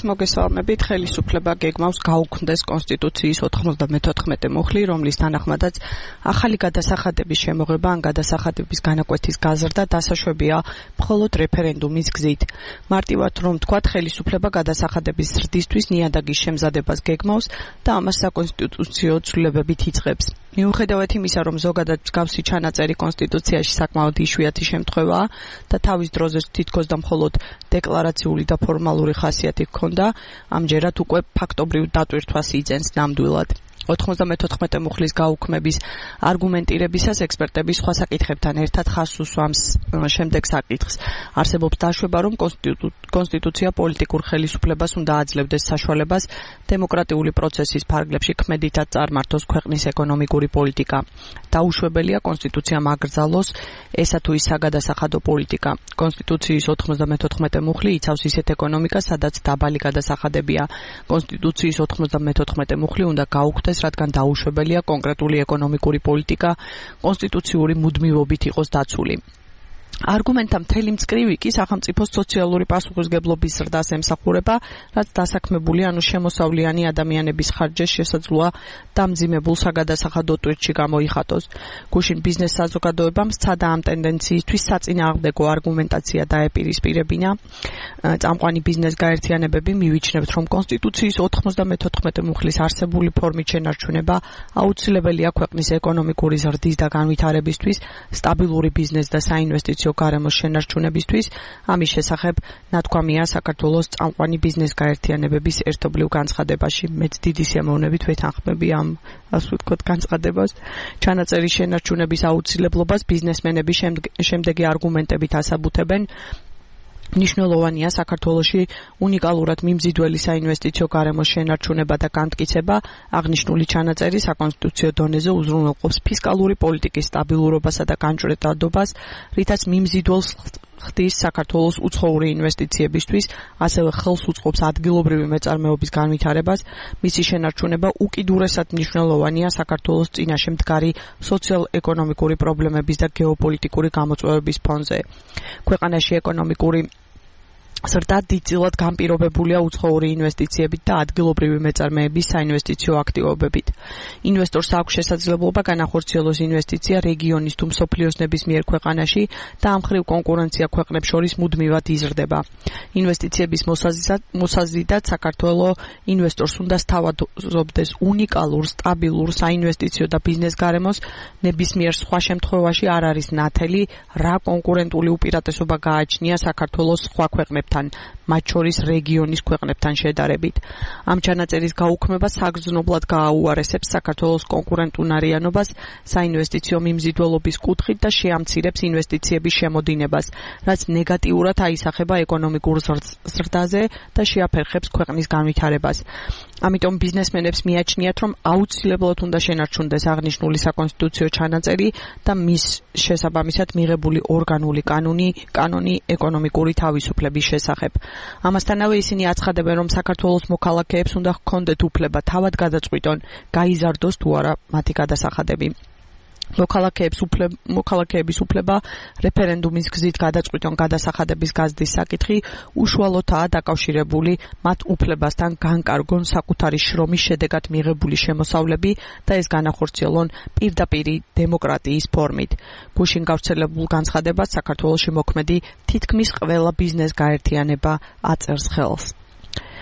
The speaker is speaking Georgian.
მოგესალმებით. ხელისუფლება გეგმავს გაუქმდეს კონსტიტუციის 94 მუხლი, რომლის თანახმადაც ახალი გადასახადების შემოღება ან გადასახადების განაკვეთის გაზრდა დასაშვებია მხოლოდ რეფერენდუმის გზით. მარტივად რომ ვთქვათ, ხელისუფლება გადასახადების ზრდისთვის ნიადაგის შემზადებას გეგმავს და ამას საკონსტიტუციო ცვლილებებით იწყებს. მიუხედავად იმისა, რომ ზოგადად მსგავსი ჩანაწერი კონსტიტუციაში საკმაოდ იშვიათი შემთხვევაა და თავის დროზე თითქოს და მხოლოდ დეკლარაციული და ფორმალური ხასიათი ჰქონდა, ამჯერად უკვე ფაქტობრივ დატვირთვას იძენს ნამდვილად. 94 მუხლის გაუქმების არგუმენტირებისას ექსპერტები სხვა საკითხებთან ერთად ხაზს უსვამს შემდეგ საკითხს. არსებობს დაშვება, რომ კონსტიტუცია პოლიტიკურ ხელისუფლებას უნდა აძლევდეს საშუალებას დემოკრატიული პროცესის ფარგლებში ქმედითად წარმართოს ქვეყნის ეკონომიკური პოლიტიკა. დაუშვებელია კონსტიტუციამ აკრძალოს ესა თუ ის საგადასახადო პოლიტიკა. კონსტიტუციის 94 მუხლი იცავს ისეთ ეკონომიკას, სადაც დაბალი გადასახადებია. კონსტიტუციის 94 მუხლი უნდა გაუქმდეს, რადგან დაუშვებელია კონკრეტული ეკონომიკური პოლიტიკა კონსტიტუციური მუდმივობით იყოს დაცული. არგუმენტთა მთელი მწკრივი კი სახელმწიფოს სოციალური პასუხისმგებლობის ზრდას ემსახურება, რაც დასაქმებული ანუ შემოსავლიანი ადამიანების ხარჯზე შესაძლოა დამძიმებულ საგადასახადო ტვირთში გამოიხატოს. გუშინ ბიზნეს საზოგადოებამ სცადა ამ ტენდენციისთვის საწინააღმდეგო არგუმენტაცია დაეპირისპირებინა. წამყვანი ბიზნეს გაერთიანებები მივიჩნევთ, რომ კონსტიტუციის 94 მუხლის არსებული ფორმით შენარჩუნება აუცილებელია ქვეყნის ეკონომიკური ზრდის და განვითარებისთვის, სტაბილური ბიზნეს და საინვესტიციო გარემოს შენარჩუნებისთვის. ამის შესახებ ნათქვამია საქართველოს წამყვანი ბიზნეს გაერთიანებების ერთობლივ განცხადებაში. მეც დიდი სიამოვნებით ვეთანხმები ამ ასე ვთქვათ განცხადებას. ჩანაწერის შენარჩუნების აუცილებლობას ბიზნესმენები შემდეგი არგუმენტებით ასაბუთებენ. მნიშვნელოვანია საქართველოში უნიკალურად მიმზიდველი საინვესტიციო გარემოს შენარჩუნება და განმტკიცება. აღნიშნული ჩანაწერი საკონსტიტუციო დონეზე უზრუნველყოფს ფისკალური პოლიტიკის სტაბილურობასა და განჭვრეტადობას, რითაც მიმზიდველს ხდის საქართველოს უცხოური ინვესტიციებისთვის, ასევე ხელს უწყობს ადგილობრივი მეწარმეობის განვითარებას. მისი შენარჩუნება უკიდურესად მნიშვნელოვანია საქართველოს წინაშე მდგარი სოციალ-ეკონომიკური პრობლემების და გეოპოლიტიკური გამოწვევების ფონზე. ქვეყანაში ეკონომიკური ზრდა დიდწილად განპირობებულია უცხოური ინვესტიციებით და ადგილობრივი მეწარმეების საინვესტიციო აქტივობებით. ინვესტორს აქვს შესაძლებლობა განახორციელოს ინვესტიცია რეგიონის თუ მსოფლიოს ნებისმიერ ქვეყანაში და ამ მხრივ კონკურენცია ქვეყნებს შორის მუდმივად იზრდება. ინვესტიციების მოსაზიდად საქართველოს ინვესტორს უნდა სთავაზობდეს უნიკალურ, სტაბილურ საინვესტიციო და ბიზნეს გარემოს. ნებისმიერ სხვა შემთხვევაში არ არის ნათელი, რა კონკურენტული უპირატესობა გააჩნია საქართველოს სხვა ქვეყნებთან, მათ შორის რეგიონის ქვეყნებთან შედარებით. ამ ჩანაწერის გაუქმება საგრძნობლად გააუარესებს საქართველოს კონკურენტუნარიანობას საინვესტიციო მიმზიდველობის კუთხით და შეამცირებს ინვესტიციების შემოდინებას, რაც ნეგატიურად აისახება ეკონომიკურ ზრდაზე და შეაფერხებს ქვეყნის განვითარებას. ამიტომ ბიზნესმენებს მიაჩნიათ, რომ აუცილებლად უნდა შენარჩუნდეს აღნიშნული საკონსტიტუციო ჩანაწერი და მის შესაბამისად მიღებული ორგანული კანონი ეკონომიკური თავისუფლების შესახებ. ამასთანავე ისინი აცხადებენ, რომ საქართველოს მოქალაქეებს უნდა ჰქონდეთ უფლება თავად გადაწყვიტონ, გაიზარდოს თუ არა მათი გადასახადები. მოქალაქეების უფლება რეფერენდუმის გზით გადაწყვიტონ გადასახადების გაზრდის საკითხი უშუალოდაა დაკავშირებული მათ უფლებასთან განკარგონ საკუთარი შრომის შედეგად მიღებული შემოსავლები და ეს განახორციელონ პირდაპირი დემოკრატიის ფორმით. გუშინ გავრცელებულ განცხადებას საქართველოში მოქმედი თითქმის ყველა ბიზნეს გაერთიანება აწერს ხელს.